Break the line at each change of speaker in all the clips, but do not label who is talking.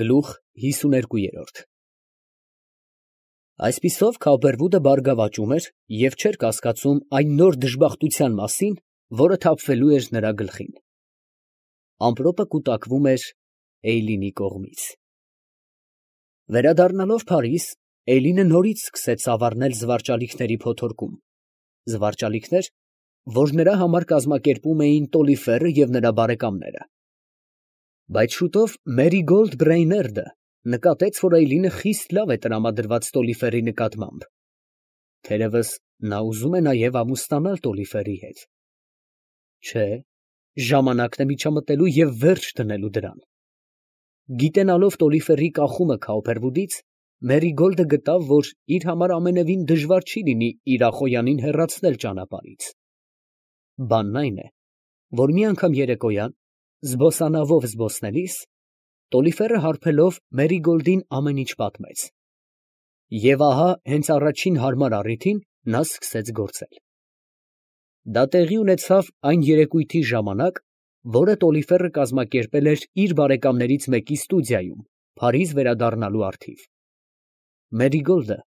Գլուխ 52 Այսպիսով Քավբերվուդը բարգավաճում էր և չէր կասկածում այն նոր դժբախտության մասին, որը թափվելու էր նրա գլխին. ամպրոպը կուտակվում էր Էյլինի կողմից։ Վերադառնալով Փարիզ, Էյլինը նորից սկսեց ծավառնել զվարճալիքների փոթորկում, զվարճալիքներ, որ նրա համար կազմակերպում էին Տոլիֆերը և նրա բարեկամները։ Բայց շուտով Մերիգոլդ Բրեյներդը նկատեց, որ Էյլինը խիստ լավ է տրամադրված Տոլիֆերի նկատմամբ, թերևս նա ուզում է նաև ամուսնանալ Տոլիֆերի հետ։ Չէ, ժամանակն է միջամտելու և վերջ դնելու դրան։ Գիտենալով Տոլիֆերի կախումը Քավբերվուդից, Մերիգոլդը գտավ, որ իր համար ամենևին դժվար չի լինի իր Ախոյանին հեռացնել ճանապարհից։ Բանն այն է, որ մի անգամ երեկոյան, զբոսանավով զբոսնելիս, Տոլիֆերը հարբելով Մերիգոլդին ամեն ինչ պատմեց։ Եվ ահա հենց առաջին հարմար առիթին նա սկսեց գործել։ Դա տեղի ունեցավ այն երեկույթի ժամանակ, որը Տոլիֆերը կազմակերպել էր իր բարեկամներից մեկի ստուդիայում, Փարիզ վերադառնալու առթիվ։ Մերիգոլդը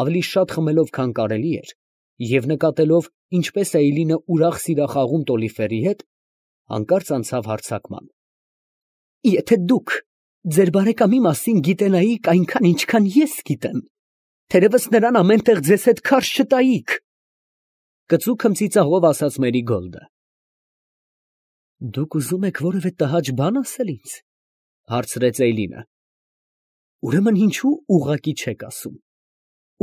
ավելի շատ խմելով, քան կարելի էր, և նկատելով, ինչպես է Էյլինը ուրախ սիրախաղում Տոլիֆերի հետ, հանկարծ անցավ հարձակման։ Եթե դուք ձեր բարեկամի մասին գիտենայիք այնքան, ինչքան ես գիտեմ, թերևս նրան ամեն տեղ ձեզ հետ քարշ չտայիք, կծու քմծիծաղով ասաց Մերիգոլդը։ Դուք ուզում եք որևէ տհաճ բան ասել ինձ, հարցրեց Էյլինը։ Ուրեմն ինչու ուղղակի չեք ասում,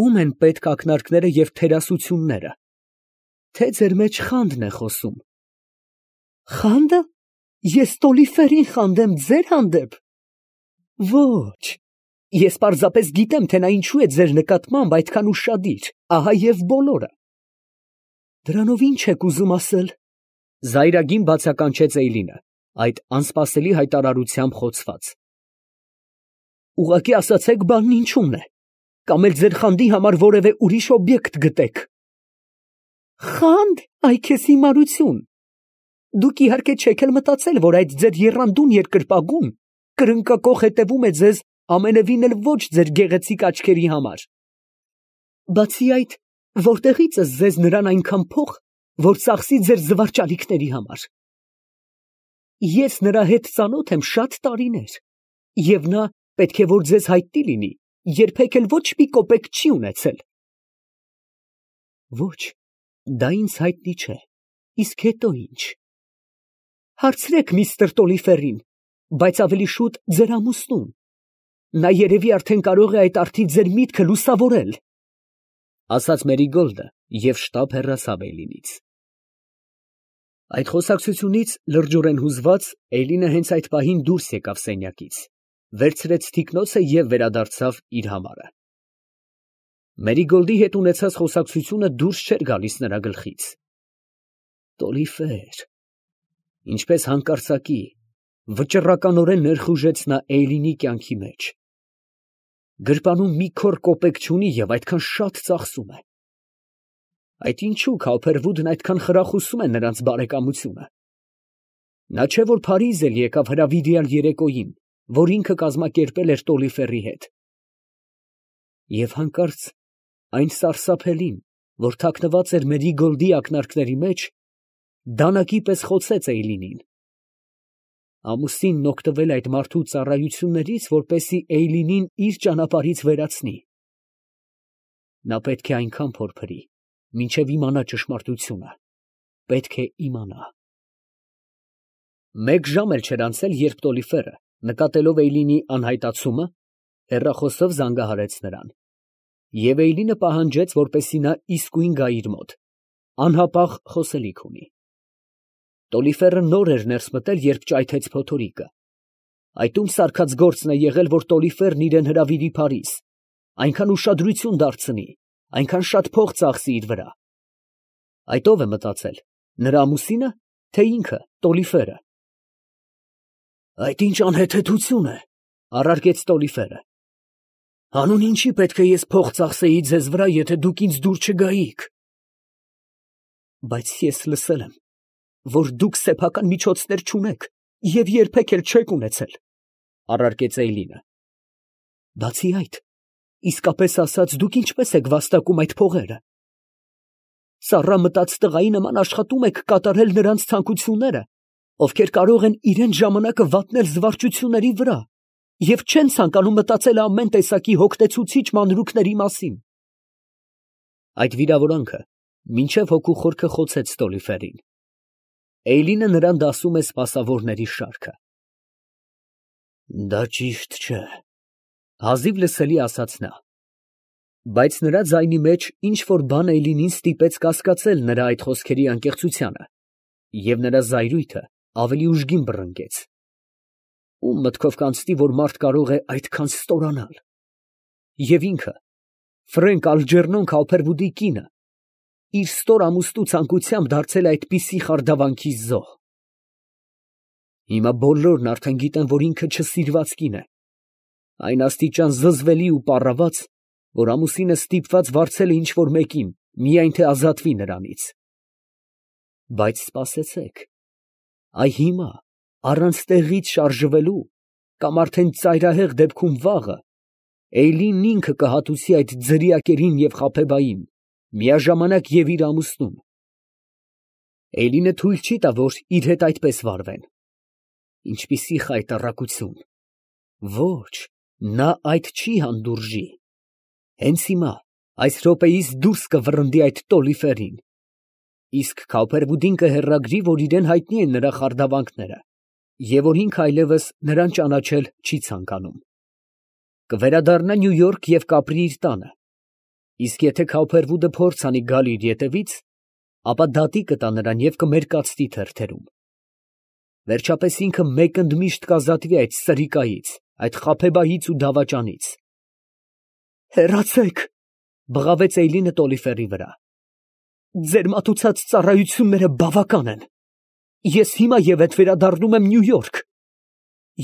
ում են պետք ակնարկները և թերասությունները, թե ձեր մեջ խանդն է խոսում։ Խանդը։ Ես Տոլիֆերին խանդեմ ձեր հանդեպ։ Ոչ, ես պարզապես գիտեմ, թե նա ինչու է ձեր նկատմամբ այդքան ուշադիր, ահա և բոլորը։ Դրանով ինչ եք ուզում ասել, զայրագին բացականչեց Էյլինը, այդ անսպասելի հայտարարությամբ խոցված։ Ուղղակի ասացեք բանն ինչումն է, կամ էլ ձեր խանդի համար որևէ ուրիշ օբյեկտ գտեք։ Խանդ, այ քեզ հիմարություն։ Դուք իհարկե չեք էլ մտածել, որ այդ ձեր եռանդուն երկրպագուն կրնկակոխ հետևում է ձեզ ամենևին էլ ոչ ձեր գեղեցիկ աչքերի համար։ Բացի այդ, որտեղից է ձեզ նրան այնքան փող, որ ծախսի ձեր զվարճալիքների համար։ Ես նրա հետ ծանոթ եմ շատ տարիներ, և նա, պետք է որ ձեզ հայտնի լինի, երբեք էլ ոչ մի կոպեկ չի ունեցել։ Ոչ, դա ինձ հայտնի չէ, իսկ հետո ինչ։ Հարցրեք միստր Տոլիֆերին, բայց ավելի շուտ ձեր ամուսնուն։ Նա երևի արդեն կարող է այդ առթիվ ձեր միտքը լուսավորել, ասաց Մերիգոլդը և շտապ հեռացավ Էյլինից։ Այդ խոսակցությունից լրջորեն հուզված, Էյլինը հենց այդ պահին դուրս եկավ սենյակից, վերցրեց թիկնոցը և վերադարձավ իր համարը։ Մերիգոլդի հետ ունեցած խոսակցությունը դուրս չէր գալիս նրա գլխից։ Տոլիֆեր, ինչպես հանկարծակի, վճռականորեն ներխուժեց նա Էյլինի կյանքի մեջ։ Գրպանում մի քոռ կոպեկ չունի և այդքան շատ ծախսում է։ Այդ ինչու Քավբերվուդն այդքան խրախուսում է նրանց բարեկամությունը։ Նա չէ որ Փարիզ էլ եկավ հրավիրյալ երեկոյին, որ ինքը կազմակերպել էր Տոլիֆերի հետ։ Եվ հանկարծ այն սարսափելին, որ թաքնված էր Մերիգոլդի ակնարկների մեջ, դանակի պես խոցեց Էյլինին։ Ամուսինն օգտվել է այդ մարդու ծառայություններից, որպեսզի Էյլինին իր ճանապարհից վերացնի։ Նա պետք է այնքան փորփրի, մինչև իմանա ճշմարտությունը, պետք է իմանա։ Մեկ ժամ էլ չէր անցել, երբ Տոլիֆերը, նկատելով Էյլինի անհայտացումը, հեռախոսով զանգահարեց նրան, և Էյլինը պահանջեց, որպեսզի նա իսկույն գա իր մոտ, անհապաղ խոսելիք ունի։ Տոլիֆերը նոր էր ներս մտել, երբ ճայթեց փոթորիկը։ Այդում սարքած գործն է եղել, որ Տոլիֆերն իրան հրավիրի Փարիզ, այնքան ուշադրություն դարձնի, այնքան շատ փող ծախսի իր վրա։ Այդ ո՞վ է մտածել, նրա ամուսինը, թե ինքը, Տոլիֆերը։ Այդ ինչ անհեթեթություն է, առարկեց Տոլիֆերը։ Հանուն ինչի պետք է ես փող ծախսեի ձեզ վրա, եթե դուք ինձ դուր չգայիք։ Բայց ես լսել եմ, որ դուք սեփական միջոցներ չունեք և երբեք էլ չեք ունեցել։ Առարկեց Էյլինը։ Բացի այդ, իսկապես ասած, դուք ինչպես եք վաստակում այդ փողերը։ Սառա մտած տղայի նման աշխատում եք կատարել նրանց ցանկությունները, ովքեր կարող են իրենց ժամանակը վատնել զվարճությունների վրա և չեն ցանկանում մտածել ամեն տեսակի հոգնեցուցիչ մանրուքների մասին։ Այդ վիրավորանքը մինչև հոգու խորքը խոցեց Ստոլիֆերին։ Էյլինը նրան դասում է սպասավորների շարքը։ Դա ճիշտ չէ, հազիվ լսելի ասաց նա։ Բայց նրա ձայնի մեջ ինչ որ բան Էյլինին ստիպեց կասկածել նրա այդ խոսքերի անկեղծությանը, և նրա զայրույթը ավելի ուժգին բռնկեց։ Ում մտքով կանցնի, որ մարդ կարող է այդքան ստորանալ։ Եվ ինքը, Ֆրենկ Ալջերնոն Քաուփերվուդի կինը, իր ստոր ամուսնու ցանկությամբ դարձել է այդպիսի խարդավանքի զոհ։ Հիմա բոլորն արդեն գիտեն, որ ինքը չսիրված կին է, այն աստիճան զզվելի ու պառաված, որ ամուսինը ստիպված վարձել է ինչ-որ մեկին, միայն թե ազատվի նրանից։ Բայց սպասեցեք, այ հիմա, առանց տեղից շարժվելու, կամ արդեն ծայրահեղ դեպքում վաղը, Էյլինն ինքը կհատուցի այդ ձրիակերին և խաբեբային, միաժամանակ և իր ամուսնուն։ Էյլինը թույլ չի տա, որ իր հետ այդպես վարվեն։ Ինչպիսի խայտառակություն։ Ոչ, նա այդ չի հանդուրժի։ Հենց հիմա, այս րոպեիս դուրս կվռնդի այդ Տոլիֆերին։ Իսկ Քաուփերվուդին կհեռագրի, որ իրան հայտնի են նրա խարդավանքները, և որ ինքը այլևս նրան ճանաչել չի ցանկանում։ Կվերադառնա Նյու Յորք և կապրի իր տանը։ Իսկ եթե Քաուփերվուդը փորձ անի գալ իր ետևից, ապա դատի կտա նրան և կմերկացնի թերթերում։ Վերջապես ինքը մեկ ընդմիշտ կազատվի այդ սրիկայից, այդ խաբեբայից ու դավաճանից։ Հեռացեք, բղավեց Էյլինը Տոլիֆերի վրա։ Ձեր մատուցած ծառայությունները բավական են։ Ես հիմա և հետ վերադառնում եմ Նյու Յորք։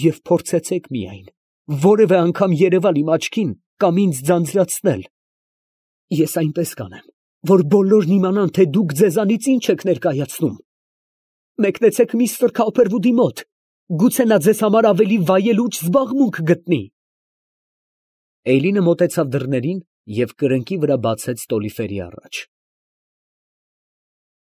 Եվ փորձեցեք միայն որևէ անգամ երևալ իմ աչքին կամ ինձ ձանձրացնել։ Ես այնպես կանեմ, որ բոլորն իմանան, թե դուք ձեզանից ինչ եք ներկայացնում։ Մեկնեցեք միստր Քաուփերվուդի մոտ, գուցե նա ձեզ համար ավելի վայելուչ զբաղմունք գտնի։ Էյլինը մոտեցավ դռներին և կրնկի վրա բացեց Տոլիֆերի առաջ։